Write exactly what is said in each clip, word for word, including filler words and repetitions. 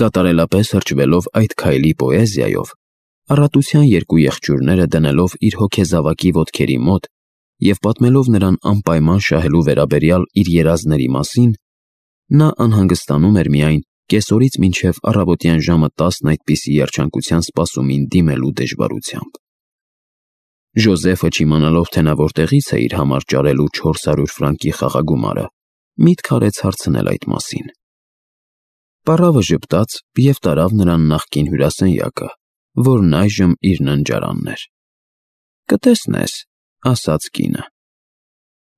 Կատարելապես հրճվելով այդ քայլի պոեզիայով, առատության երկու եղջյուրները դնելով իր հոգեզավակի ոտքերի մոտ և պատմելով նրան անպայման շահելու վերաբերյալ իր երազների մասին, նա անհանգստանում էր միայն կեսօրից մինչև առավոտյան ժամը տասն այդպիսի երջանկության սպասումին դիմելու դժվարությամբ։ Ժոզեֆը, չիմանալով, թե նա որտեղից է իր համար ճարելու չորս հարյուր ֆրանկի խաղագումարը, միտք արեց հարցնել այդ մասին։ Պառավը ժպտաց և տարավ նրան նախկին հյուրասենյակը, որն այժմ իր ննջարանն էր։ «Կտեսնես», ասաց կինը։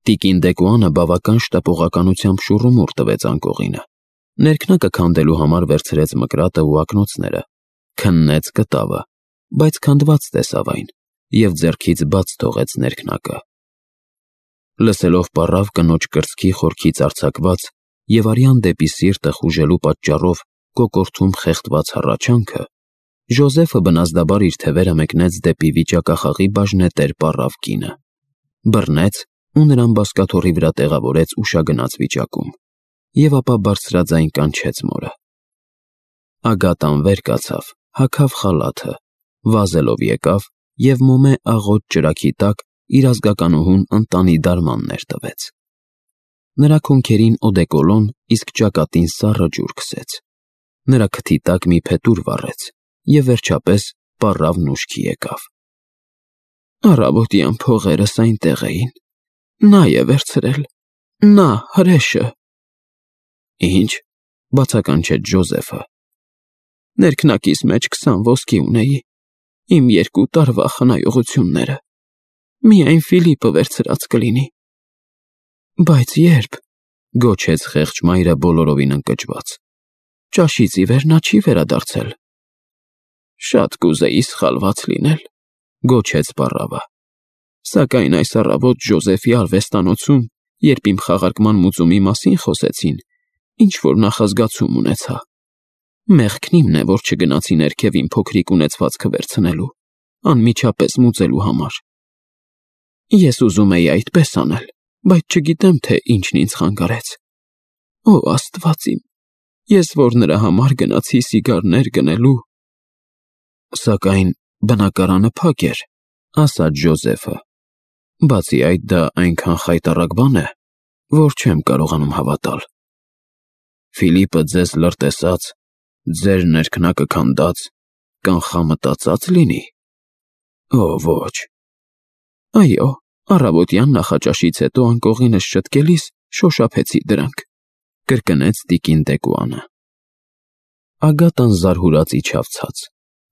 Տիկին Դեկուանը բավական շտապողականությամբ շուռումուռ տվեց անկողինը, ներքնակը քանդելու համար վերցրեց մկրատը ու ակնոցները, քննեց կտավը, բայց քանդված տեսավ այն և ձեռքից բաց թողեց ներքնակը։ Լսելով պառավ կնոջ կրծքի խորքից արձակված և արյան դեպի սիրտը խուժելու պատճառով կոկորդում խեղդված հառաչանքը, Ժոզեֆը բնազդաբար իր թևերը մեկնեց դեպի վիճակախաղի բաժնետեր պառավ կինը, բռնեց ու նրան բազկաթոռի վրա տեղավորեց ուշագնաց վիճակում և ապա բարձրաձայն կանչեց մորը։ Ագատան վեր կացավ, հագավ խալաթը, վազելով եկավ և մոմե աղոտ ճրագի տակ իր ազգականուհուն ընտանի դարմաններ տվեց։ Նրա քոնքերին օդեկոլոն, իսկ ճակատին սառը ջուր քսեց, նրա քթի տակ մի փետուր վառեց և վերջապես պառավն ուշքի եկավ։ «Առավոտյան փողերս այնտեղ էին, նա է վերցրել, նա հրեշը»։ «Ինչ», բացականչեց Ժոզեֆը։ «Ներքնակիս մեջ քսան ոսկի ունեի, իմ երկու տարվա խնայողությունները, միայն Ֆիլիպը վերցրած կլինի»։ «Բայց ե՞րբ», գոչեց խեղճ մայրը բոլորովին ընկճված։ «Ճաշից ի վեր նա չի վերադարձել»։ «Շատ կուզեի սխալված լինել», գոչեց պառավը, «սակայն այս առավոտ Ժոզեֆի արվեստանոցում, երբ իմ խաղարկման մուծումի մասին խոսեցին, ինչ-որ նախազգացում ունեցա։ Մեղքն իմն է, որ չգնացի ներքև իմ փոքրիկ ունեցվածքը վերցնելու, անմիջապես մուծելու համար։ Ես ուզում էի այդպես անել, բայց չգիտեմ, թե ինչն ինձ խանգարեց։ Ո Աստված իմ, ես որ նրա համար գնացի սիգարներ գնելու»։ «Սակայն բնակարանը փակ էր», ասաց Ժոզեֆը։ «Բացի այդ, դա այնքան խայտառակ բան է, որ չեմ կարողանում հավատալ։ Ֆիլիպը ձեզ լրտեսած, ձեր ներքնակը քանդած, կանխամտածա՞ծ լինի։ Ո ոչ»։ «Այո, առավոտյան նախաճաշից հետո անկողինս շտկելիս շոշափեցի դրանք», կրկնեց տիկին Դեկուանը։ Ագատան զարհուրած իջավ ցած,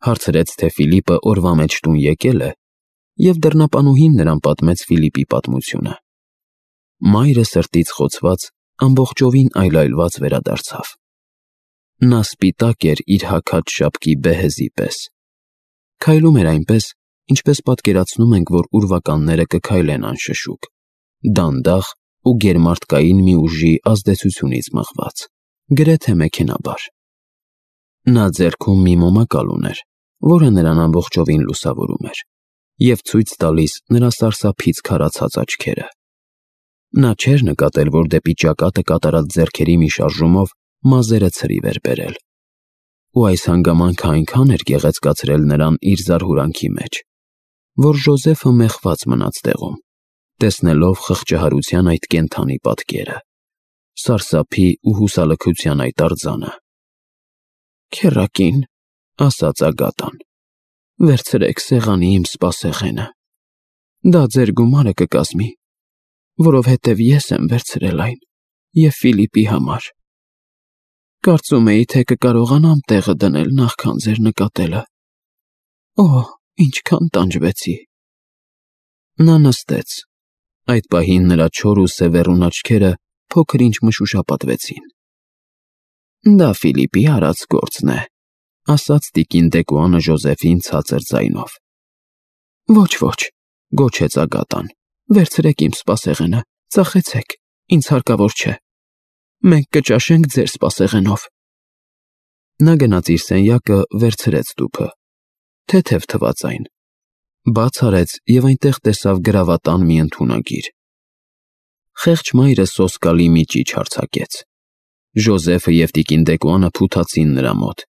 հարցրեց, թե Ֆիլիպը օրվա մեջ տուն եկել է, և դռնապանուհին նրան պատմեց Ֆիլիպի պատմությունը։ Մայրը սրտից խոցված, ամբողջովին այլայլված վերադարձավ։ Նա սպիտակ էր իր հագած շապկի բեհեզի պես։ Քայլում էր այնպես, ինչպես պատկերացնում ենք, որ ուրվականները կքայլեն անշշուկ, դանդաղ ու գերմարդկային մի ուժի ազդեցությունից մղված, գրեթե մեքենաբար։ Նա ձեռքում մի մոմակալ ուներ, որը նրան ամբողջովին լուսավորում էր և ցույց տալիս նրա սարսափից քարացած աչքերը։ Նա չէր նկատել, որ դեպի ճակատը կատարած ձեռքերի մի շարժումով մազերը ցրիվ էր բերել, ու այս հանգամանքը այնքան էր գեղեցկացրել նրան իր զարհուրանքի մեջ, որ Ժոզեֆը մեխված մնաց տեղում, տեսնելով խղճահարության այդ կենդանի պատկերը, սարսափի ու հուսալքության այդ արձանը։ «Քեռակին», ասաց Ագատան, «վերցրեք սեղանի իմ սպասեղենը, դա ձեր գումարը կկազմի, որովհետև ես եմ վերցրել այն և Ֆիլիպի համար։ Կարծում էի, թե կկարողանամ տեղը դնել նախքան ձեր նկատելը։ Օ, ինչքան տանջվեցի»։ Նա նստեց։ Այդ պահին նրա չոր ու սևեռուն աչքերը փոքր-ինչ մշուշապատվեցին։ «Դա Ֆիլիպի արած գործն է», ասաց տիկին Դեկուանը Ժոզեֆին ցածր ձայնով։ «Ոչ, ոչ», գոչեց Ագատան, «վերցրեք իմ սպասեղենը, ծախեցեք, ինձ հարկավոր չէ։ Մենք կճաշենք ձեր սպասեղենով»։ Նա գնաց իր սենյակը, վերցրեց տուփը, թեթև թվաց այն, բաց արեց և այնտեղ տեսավ գրավատան մի ընդունագիր։ Խեղճ մայրը սոսկալի մի ճիչ արձակեց։ Ժոզեֆը և տիկին Դեկոանը փութացին նրա մոտ,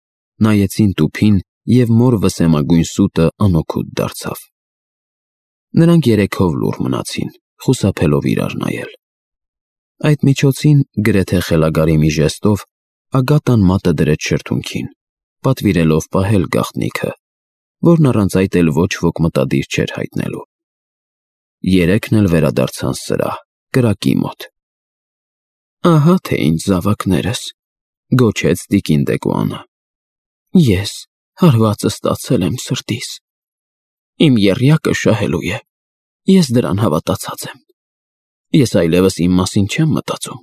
նայեցին տուփին և մոր վսեմագույն սուտը անօգուտ դարձավ։ Նրանք երեքով լուռ մնացին, խուսափելով իրար նայել։ Այդ միջոցին, գրեթե խելագարի մի ժեստով, Ագատան մատը դրեց շրթունքին, պատվիրելով պահել գաղտնիքը, որն առանց այդ էլ ոչ ոք մտադիր չէր հայտնելու։ Երեքն էլ վերադարձան սրահ, կրակի մոտ։ «Ահա թե ինչ զավակներս», գոչեց տիկին Դեկոանը։ «Ես հարվածը ստացել եմ սրտիս։ Իմ եռյակը շահելու է, ես դրան հավատացած եմ։ Ես այլևս իմ մասին չեմ մտածում,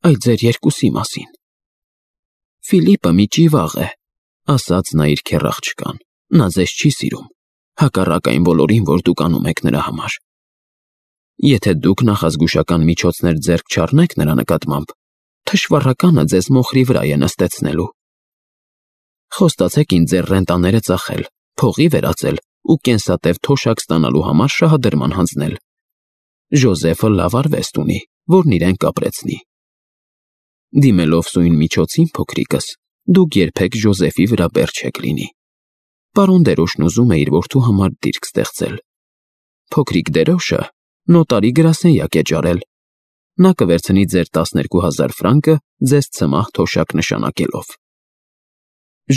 այլ ձեր երկուսի մասին։ Ֆիլիպը մի ճիվաղ է», ասաց նա իր քեռ աղջկան, «նա ձեզ չի սիրում, հակառակ այն բոլորին, որ դուք անում եք նրա համար։ Եթե դուք նախազգուշական միջոցներ ձեռք չառնեք նրա նկատմամբ, թշվառականը ձեզ մոխրի վրա է նստեցնելու։ Խոստացեք ինձ ձեր ռենտաները ծախել, փողի վերածել ու կենսատև թոշակ ստանալու համար շահադրման հանձնել։ Ժոզեֆը լավ արվեստ ունի, որն իրեն կապրեցնի։ Դիմելով սույն միջոցին, փոքրիկս, դուք երբեք Ժոզեֆի վրա բեռ չեք լինի։ Պարոն Դերոշն ուզում է իր որդու համար դիրք ստեղծել։ Փոքրիկ Դերոշը նոտարի գրասենյակ է ջարել։ Նա կվերցնի ձեր տասներկու հազար ֆրանկը ձեզ ցմահ թոշակ նշանակելով։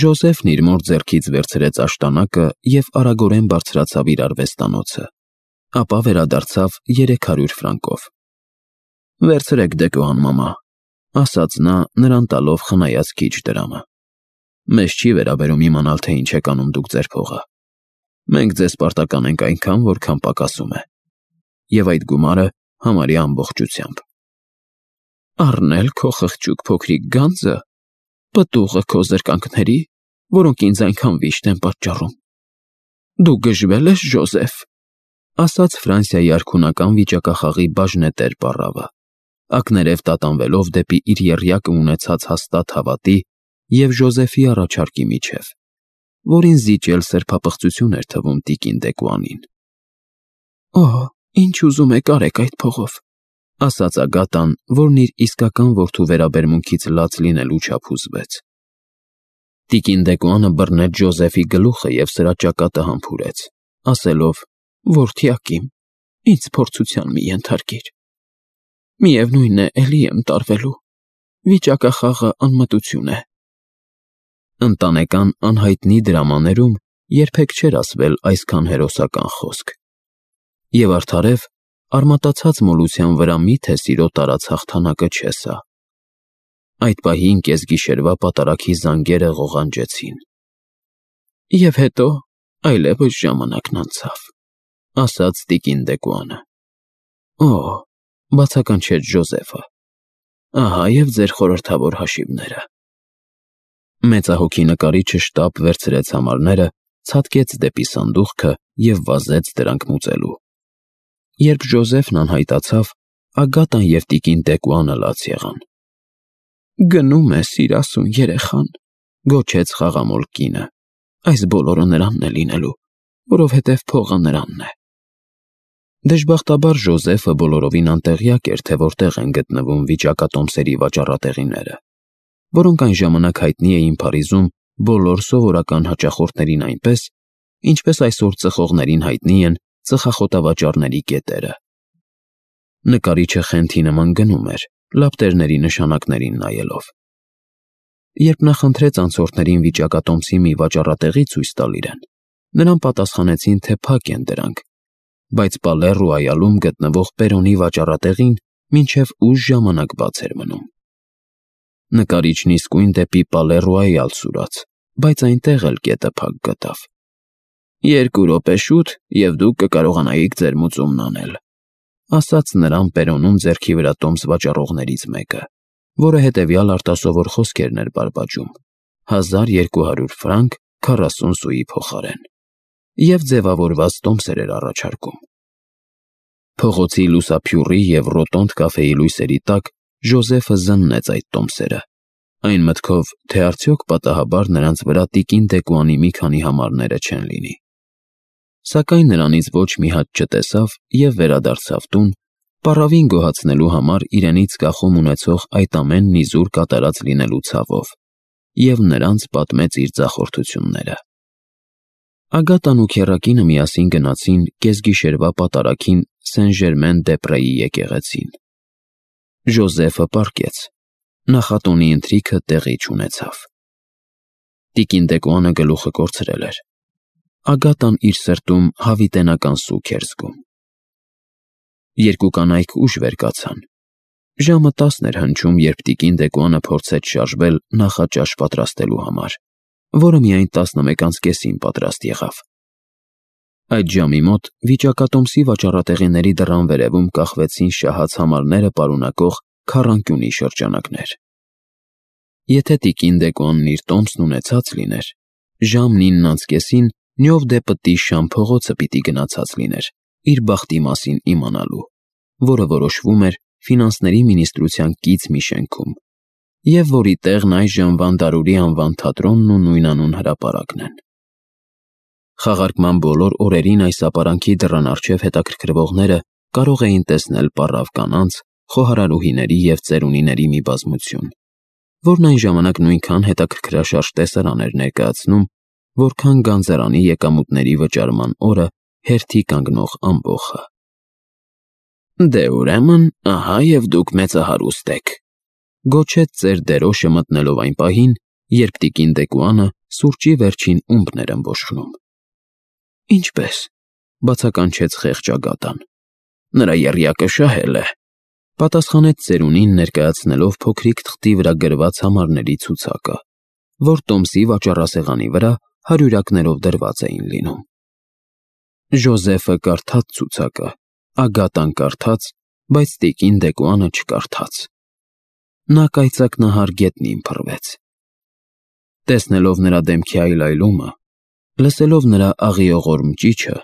Ժոզեֆն իր մոր ձեռքից վերցրեց աշտանակը և արագորեն բարձրացավ իր արվեստանոցը, ապա վերադարձավ երեք հարյուր ֆրանկով։ Վերցրեք, Դեկոան մամա, ասաց նա, նրան տալով խնայած քիչ դրամը։ Մեզ չի վերաբերում իմանալ, թե ինչ եք անում դուք ձեր փողը։ Մենք ձեզ պարտական ենք այնքան, որքան պակասում է։ Եվ այդ գումարը համարյա ամբողջությամբ։ Առնել քո խղճուկ փոքրիկ գանձը, պտուղը քո զրկանքների, որոնք ինձ այնքան վիշտ են պատճառում։ Դու գժվել ես, Ժոզեֆ, ասաց Ֆրանսիայի արքունական վիճակախաղի բաժնետեր պառավը, ակներև տատանվելով դեպի իր եռյակը ունեցած հաստատ հավատի և Ժոզեֆի առաջարկի միջև, որին զիջել սրբապղծություն էր թվում տիկին Դեկոանին։ Օհ, ինչ ուզում եք արեք այդ փողով, ասաց Ագատան, որն իր իսկական որդու վերաբերմունքից լաց լինելու չափ հուզվեց։ Տիկին Դեկոանը բռնեց Ժոզեֆի գլուխը և սրա ճակատը համբուրեց, ասելով. «Որդյակիմ, ինձ փորձության մի ենթարկիր։ Միևնույն է, էլի եմ տարվելու։ Վիճակախաղը անմտություն է»։ Ընտանեկան անհայտնի դրամաներում երբեք չէր ասվել այսքան հերոսական խոսք։ Եվ արդարև, արմատացած մոլության վրա միթե սիրո տարած հաղթանակը չէ սա։ Այդ պահին կեսգիշերվա պատարագի զանգերը ղողանջեցին։ Եվ հետո այլևս ժամանակն անցավ, ասաց տիկին Դեկոանը։ Օհ, բացականչեց Ժոզեֆը։ Ահա և ձեր խորհրդավոր հաշիվները։ Մեծահոգի նկարիչը շտապ վերցրեց համարները, ցատկեց դեպի սանդուղքը և վազեց դրանք մուծելու։ Երբ Ժոզեֆն անհայտացավ, Ագատան և տիկին Դեկոանը լաց եղան։ Գնում է սիրասուն երեխան, գոչեց խաղամոլ կինը։ Այս բոլորը նրանն է լինելու, որովհետև փողը նրանն է։ Դժբախտաբար Ժոզեֆը բոլորովին անտեղյակ էր, թե որտեղ են գտնվում վիճակատոմսերի վաճառատեղիները, որոնք այն ժամանակ հայտնի էին Փարիզում բոլոր սովորական հաճախորդներին այնպես, ինչպես այսօր ծխողներին հայտնի են ծխախոտավաճառների կետերը։ Նկարիչը խենթի նման գնում էր, լապտերների նշանակներին նայելով։ Երբ նա խնդրեց անցորդներին վիճակատոմսի մի վաճառատեղի ցույց տալ իրեն, նրան պատասխանեցին, թե փակ են դրանք, բայց Պալեռուայալում գտնվող Պերոնի վաճառատեղին մինչև ուշ ժամանակ բաց էր մնում։ Նկարիչն իսկույն դեպի Պալեռուայալ սուրաց, բայց այնտեղ էլ կետը փակ գտավ։ Երկու րոպե շուտ, և դուք կկարողանայիք ձեր մուծումն անել, ասաց նրան Պերոնում ձեռքի վրա տոմս վաճառողներից մեկը, որը հետևյալ արտասովոր խոսքերն էր բարբաջում. հազար երկու հարյուր ֆրանկ քառասուն սուի փոխարեն, և ձևավորված տոմսեր էր առաջարկում։ Փողոցի լուսափյուրի և ռոտոնդ կաֆեի լույսերի տակ Ժոզեֆը զննեց այդ տոմսերը, այն մտքով, թե արդյոք պատահաբար նրանց վրա տիկին Դեկոանի մի քանի համարները չեն լինի։ Սակայն նրանից ոչ մի հատ չտեսավ և վերադարձավ տուն, պառավին գոհացնելու համար իրենից կախում ունեցող այդ ամենն իզուր կատարած լինելու ցավով, և նրանց պատմեց իր ձախորդությունները։ Ագատան ու քեռակինը միասին գնացին կեսգիշերվա պատարագին Սեն-Ժերմեն-դե-Պրեի եկեղեցին։ Ժոզեֆը պառկեց, նախատոնի ընթրիքը տեղի չունեցավ։ Տիկին Դեկոյանը գլուխը կորցրել էր։ Ագատան իր սրտում հավիտենական սուգ էր զգում։ Երկու կանայք ուշ վեր կացան։ Ժամը տասն էր հնչում, երբ տիկին Դեկոյանը փորձեց շարժվել նախաճաշ պատրաստելու համար, որը միայն տասնմեկ անց կեսին պատրաստ եղավ։ Այդ ժամի մոտ վիճակատոմսի վաճառատեղիների դռան վերևում կախվեցին շահած համարները պարունակող քառանկյունի շրջանակներ։ Եթե տիկին Դեկոյանն իր տոմսն ունեցած լիներ, ժամն ինն անց կեսին Նյով-դե-Պտի Շամ փողոցը պիտի գնացած լիներ իր բախտի մասին իմանալու, որը որոշվում էր ֆինանսների մինիստրության կից մի շենքում, և որի տեղն այժմ Վանդարուրի անվան թատրոնն ու նույնանուն հրապարակն են։ Խաղարկման բոլոր օրերին այս ապարանքի դռան առջև հետաքրքրվողները կարող էին տեսնել պառավ կանանց, խոհարարուհիների և ծերունիների մի բազմություն, որն այն ժամանակ նույնքան հետաքրքրաշարժ տեսարան էր ներկայացնում, որքան գանձարանի եկամուտների վճարման օրը հերթի կանգնող ամբոխը։ «Դե ուրեմն, ահա և դուք մեծահարուստ եք», գոչեց ծեր դերոշը մտնելով այն պահին, երբ տիկին Դեկոյանը սուրճի վերջին ումպն էր ըմբոշխնում։ «Ինչպե՞ս», բացականչեց խեղճ Ագատան։ «Նրա եռյակը շահել է», պատասխանեց ծերունին ներկայացնելով փոքրիկ թղթի վրա գրված համարների ցուցակը, որ տոմսի վաճառասեղանի վրա հարյուրյակներով դրված էին լինում։ Ժոզեֆը կարդաց ցուցակը, Ագատան կարդաց, բայց տիկին Դեկոյանը չկարդաց։ Նա կայծակնահար գետնին փռվեց։ Տեսնելով նրա դեմքի այլայլումը, լսելով նրա աղիողորմ ճիչը,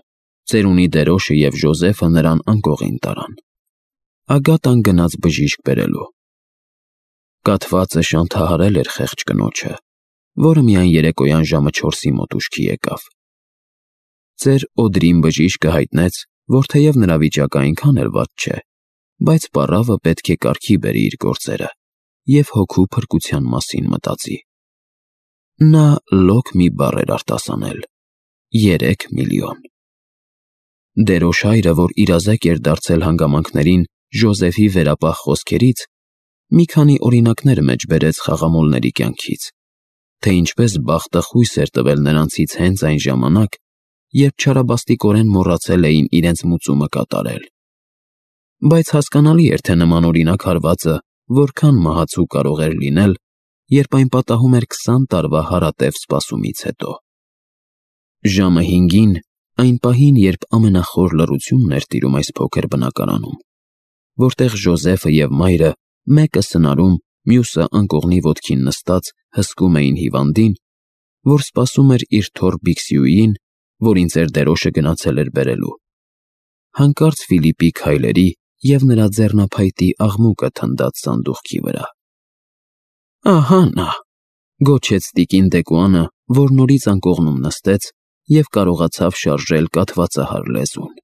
ծերունի դերոշը և Ժոզեֆը նրան անկողին տարան։ Ագատան գնաց բժիշկ բերելու։ Կաթվածը շանթահարել էր խեղճ կնոջը, որը միայն երեկոյան ժամը չորսի մոտ ուշքի եկավ։ Ծեր Օդրին բժիշկը հայտնեց, որ թեև նրա վիճակը այնքան էլ վատ չէ, բայց պառավը պետք է կարգի բերի իր գործերը և հոգու փրկության մասին մտածի։ Նա լոկ մի բառ էր արտասանել. երեք միլիոն։ Դերոշ հայրը, որ իրազեկ էր դարձել հանգամանքներին Ժոզեֆի վերապահ խոսքերից, մի քանի օրինակներ մեջ բերեց խաղամոլների կյանքից, թե ինչպես բախտը խույս էր տվել նրանցից հենց այն ժամանակ, երբ չարաբաստիկորեն մոռացել էին իրենց մուծումը կատարել։ Բայց հասկանալի էր, թե նման օրինակ հարվածը որքան մահացու կարող էր լինել, երբ այն պատահում էր քսան տարվա հարատև սպասումից հետո։ Ժամը հինգին, այն պահին, երբ ամենախոր լռությունն էր տիրում այս փոքր բնակարանում, որտեղ Ժոզեֆը և մայրը մեկը սնարում, մյուսը անկողնի ոտքին նստած հսկում էին հիվանդին, որ սպասում էր իր թոռ Բիքսիուին, որին ծեր դերոշը գնացել էր բերելու, հանկարծ Ֆիլիպի քայլերի և նրա ձեռնափայտի աղմուկը թնդաց սանդուղքի վրա։ «Ահա նա», գոչեց տիկին Դեկոյանը, որ նորից անկողնում նստեց և կարողացավ շարժել կաթվածահար լեզուն։